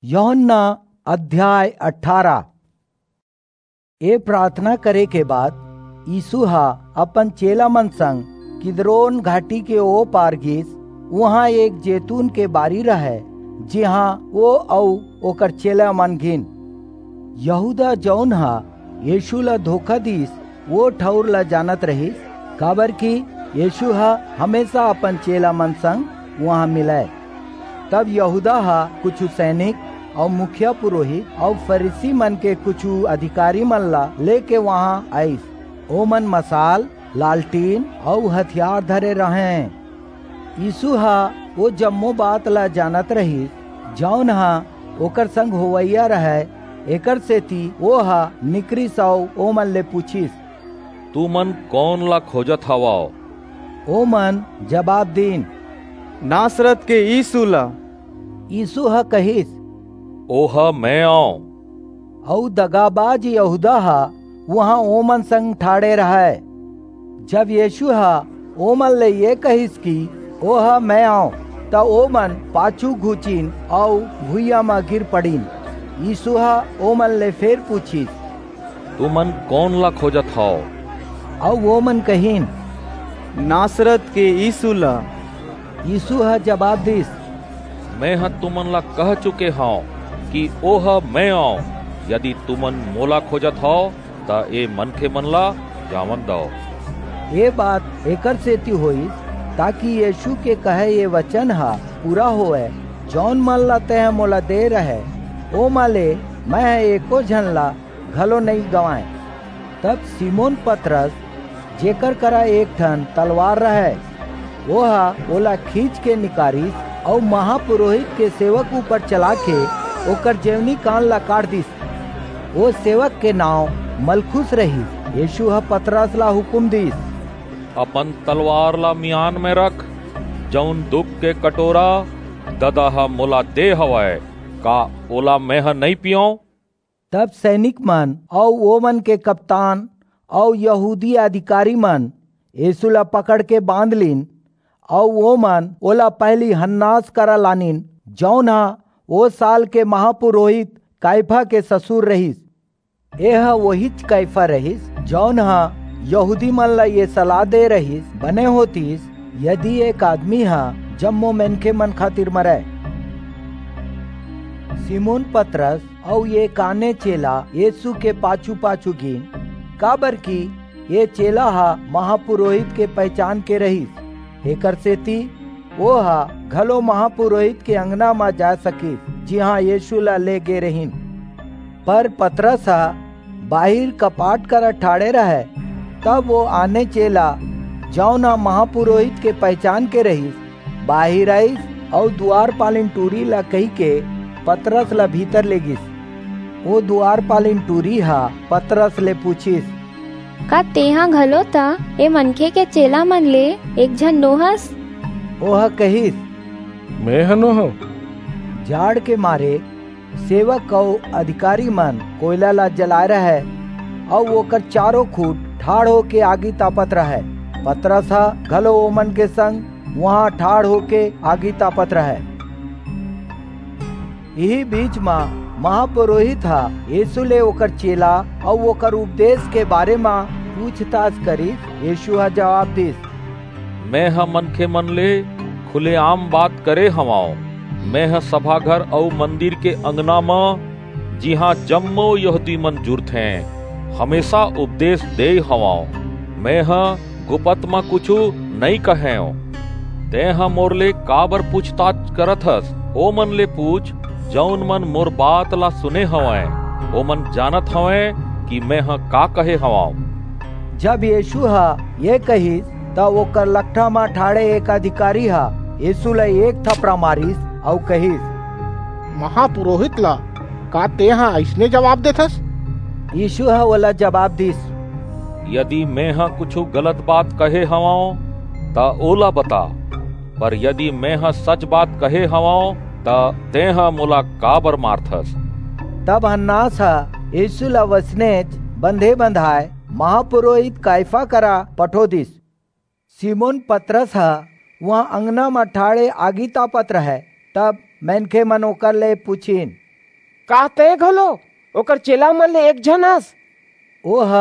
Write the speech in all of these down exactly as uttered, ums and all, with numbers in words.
यूहन्ना अध्याय अठारह। ए प्रार्थना करे के बाद यीशु ह अपन चेला मन संग किद्रोन घाटी के ओ पार गीस। उहाँ एक जैतून के बारी रहय, जिहाँ ओ अऊ ओकर चेला मन गीन। यहूदा, जऊन ह यीशु ला धोखा दीस, वो ठऊर ला जानत रहिस, काबरकि यीशु ह हमेसा अपन चेला मन संग उहाँ मिलय। तब यहूदा ह कुछू सैनिक अऊ मुखिया पुरोहित अऊ फरीसी मन के कुछू अधिकारी मन ला लेके उहाँ आईस। ओमन मसाल, लालटीन अऊ हथियार धरे रहंय। यीशु ह ओ जम्मो बात ला जानत रहिस, जऊन ह ओकर संग होवइया रहय, एकरसेति ओह निकरिस अऊ ओमन ले पुछिस, "तुमन कोन ला खोजत हवव?" ओमन जबाब दीन, "नासरत के यीशु ला।" यीशु ह कहिस, "ओह मैं अंव।" अऊ दगाबाज यहूदा ह उहाँ ओमन संग ठाढ़े रहय। जब यीशु ह ओमन ले ये कहिस कि, "ओह मैं अंव," त ओमन पाछू घुचिन अऊ भुइयां म गिर पड़िन। यीशु ह ओमन ले फेर पुछिस, "तुमन कोन ला खोजत हव?" अऊ ओमन कहिन, "नासरत के यीशु ला।" यीशु ह जबाब दीस, "मेंह तुमन ला कह चुके हंव कि ओह मैं अंव। यदि तुमन मोला खोजत हव, त ए मनखे मन ला जावन दव।" ए बात एकरसेति होईस, ताकि यीशु के कहे ये बचन ह पूरा होवय, "जऊन मन ला तेंह मोला दे रहय, ओमा ले मेंह एको झन ला घलो नइं गंवाएंव।" तब सिमोन पतरस, जेकर करा एक ठन तलवार रहय, ओह ओला खींचके निकारिस अऊ महापुरोहित के सेवक ऊपर चलाके ओकर जेवनी कान ला काट दीस। ओ सेवक के नांव मलखुस रहिस। यीशु ह पतरस ला हुकूम दीस, "अपन तलवार ला मियान में रख। जऊन दुख के कटोरा ददा ह मोला दे हवय, का ओला मेंह नइं पीयंव?" तब सैनिक मन अऊ ओमन के कप्तान अऊ यहूदी अधिकारी मन यीशु ला पकड़के बांध लीन, अऊ ओमन ओला पहिली हन्नास करा लानिन, जऊन ह ओ साल के महापुरोहित काइफा के ससुर रहिस। एह ओहीच काइफा रहिस, जऊन ह यहूदी मन ला ये सलाह दे रहिस, "बने होतिस, यदि एक आदमी ह जम्मो मनखे मन खातिर मरय।" सिमोन पतरस अऊ एक आने चेला यीशु के पाछू-पाछू गीन, काबरकि ये चेला ह महापुरोहित के पहिचान के रहिस, एकरसेति ओह घलो महापुरोहित के अंगना म जा सकिस, जिहां यीशु ला ले गे रहिन। पर पतरस ह बाहिर कपाट करा ठाढ़े रहय। तब ओ आने चेला, जऊन ह महापुरोहित के पहिचान के रहिस, बाहिर आईस अऊ दुवारपालिन टूरी ला कहिके पतरस ला भीतर लेगिस। ओ दुवारपालिन टूरी ह पतरस ले पुछिस, "का तेंह घलो त ए मनखे के चेला मन ले एक झन नोहस?" ओह कहिस, "मेंह नोहंव।" जाड़ के मारे सेवक अऊ अधिकारी मन कोइला ला जलाए रहय, अऊ ओकर चारों खूंट ठाढ़ होके आगी तापत रहय। पतरस ह घलो ओमन के संग उहां ठाढ़ होके आगी तापत रहय। इही बीच म महापुरोहित ह यीशु ले ओकर चेला अऊ ओकर उपदेश के बारे म पूछताछ करिस। यीशु ह जवाब दीस, "मेंह मनखे मन ले खुलेआम बात करे हवंव। मेंह सभाघर अऊ मंदिर के अंगना म, जिहां जम्मो यहूदी मन जुरथें, हमेसा उपदेश देय हवंव। मेंह गुपत म कुछू नइं कहेंव। तेंह मोर ले काबर पूछताछ करत हस? ओमन ले पूछ, जऊन मन मोर बात ला सुने हवंय, ओमन जानत हवंय कि मेंह का कहे हवंव।" जब यीशु ह ये कहिस, त ओकर लकठा म ठाढ़े एक अधिकारी ह यीशु ला एक थपरा मारिस अऊ कहिस, "महापुरोहित ला का तेंह अइसने जवाब देथस?" यीशु ह ओला जवाब दीस, "यदि मेंह कुछू गलत बात कहे हवंव, त ओला बता, पर यदि मेंह सच बात कहे हवंव, त तेंह मोला काबर मारथस?" तब हन्नास ह यीशु ला वइसनेच बंधे बंधाय महापुरोहित काइफा करा पठो दीस। सिमोन पतरस ह उहां अंगना म ठाढ़े आगी तापत रहय। तब मनखे मन ओकर ले पुछिन, का तैं घलो ओकर चेला मन ले एक झन अस? ओह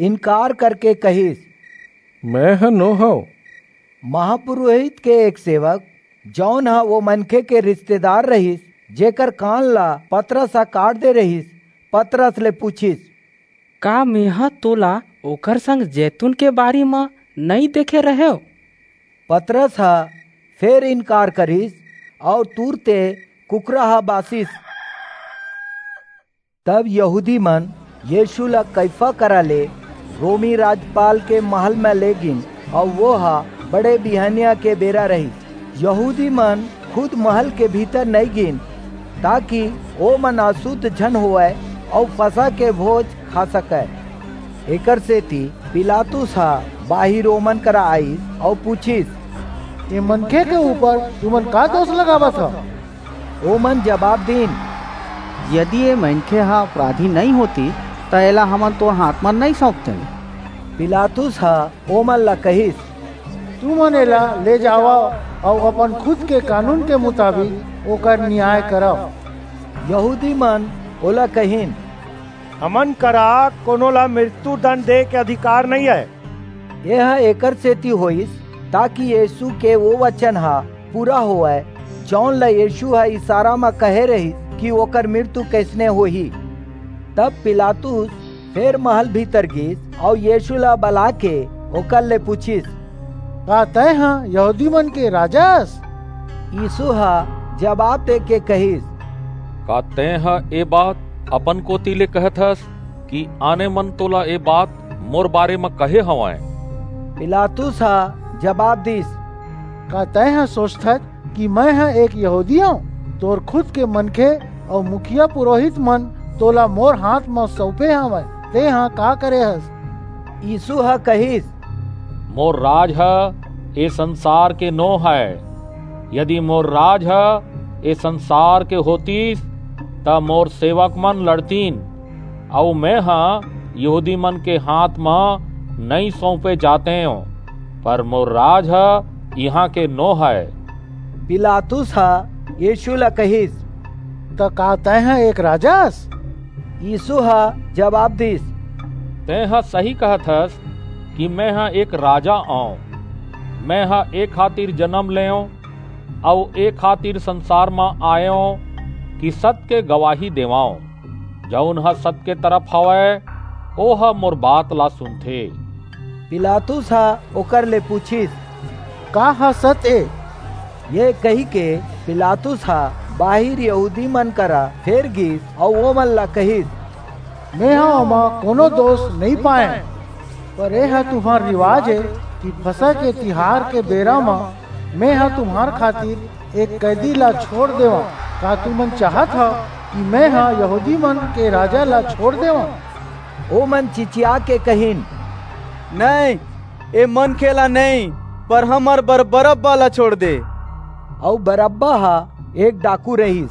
इनकार करके कहिस, मैं ह नो हंव। महापुरोहित के एक सेवक, जौन ह वो मनखे के रिश्तेदार रहिस, जेकर कान ला पतरस ह काट दे रहिस, पतरस ले पूछिस, का मेंह तोला ओकर संग जैतून के बारी म नइं देखे रहेंव? पतरस ह फेर इनकार करिस, अऊ तुरते कुकरा ह बासिस। तब यहूदी मन यीशु ला कइफा करा ले रोमी राजपाल के महल म ले गिन, अऊ वो ह बड़े बिहनिया के बेरा रहिस। यहूदी मन खुद महल के भीतर नइं गिन, ताकि ओ मन अशुद्ध झन होवय अऊ फसह के भोज खा सकय। एकर सेति पिलातुस ह बाहिर ओमन करा आईस अऊ पूछिस, ए मनखे के ऊपर तुमन का दोष लगावत हव? ओमन जबाब दीन, यदि ए मनखे ह अपराधी नइं होतिस, त एला हमन तोर हांथ म नइं सौंपतेन। पिलातुस ह ओमन ला कहिस, तुमन एला ले जावव अऊ अपन खुद के कानून के मुताबिक ओकर नियाय करव। यहूदी मन ओला कहिन, हमन करा कोनो ला मृत्यु दंड दे के अधिकार नइं हे। एह एकर सेति होईस, ताकि यीशु के वो वचन ह पूरा होवय, जौन ल यीशु ह इशारा म कहे रहिस कि ओकर मृत्यु कइसने होही। तब पिलातुस फेर महल भीतर गीस अऊ यीशु ला बलाके ओकर ले पूछिस, का तैं ह यहूदी मन के राजा अस? यीशु ह जबाब देके कहिस, का तैं ह ए बात अपन कोति ले कहत हस कि आने मन तोला ए बात मोर बारे म कहे हवंय? पिलातुस ह जबाब दीस, का तैं ह सोचथस कि मैं ह एक यहूदी हंव? तोर खुद के मनखे अऊ मुखिया पुरोहित मन तोला मोर हांथ म सौंपे हवंय, तेंह का करे हस? यीशु ह कहिस, मोर राज ह ए संसार के नो हय। यदि मोर राज ह ए संसार के होतिस, त मोर सेवक मन लड़तीन, अऊ मैं ह यहूदी मन के हांथ म नइं सौंपे जातेंव, पर मोर राज ह इहां के नो हय। पिलातुस ह यीशु ला कहिस, त का तैं ह एक राजा अस? यीशु ह जबाब दीस, तैं ह सही कहत हस कि मैं ह एक राजा अंव। मैं ह ए खातिर जनम लेंव अऊ ए खातिर संसार म आयेंव कि सत के गवाही देवंव। जऊन ह सत के तरफ हवय, ओह मोर बात ला सुनथे। पिलातुस ह ओकर ले पूछिस, का ह सत ए? ये कहिके पिलातुस ह बाहिर यहूदी मन करा फेर गीस अऊ ओमन ला कहिस, मेंह ओमा कोनो दोष नइं पायेंव, पर एह तुम्हर रिवाज ए कि फसह के तिहार के बेरा म मेंह तुम्हर खातिर एक कैदी ला छोंड़ देवंव। का तुमन चाहत हव कि मेंह यहूदी मन के राजा ला छोंड़ देवंव? ओमन चिचियाके कहिन, नइं, ए मनखे ला नइं, पर हमर बर बरअब्बा ला छोंड़ दे। अऊ बरअब्बा ह एक डाकू रहिस।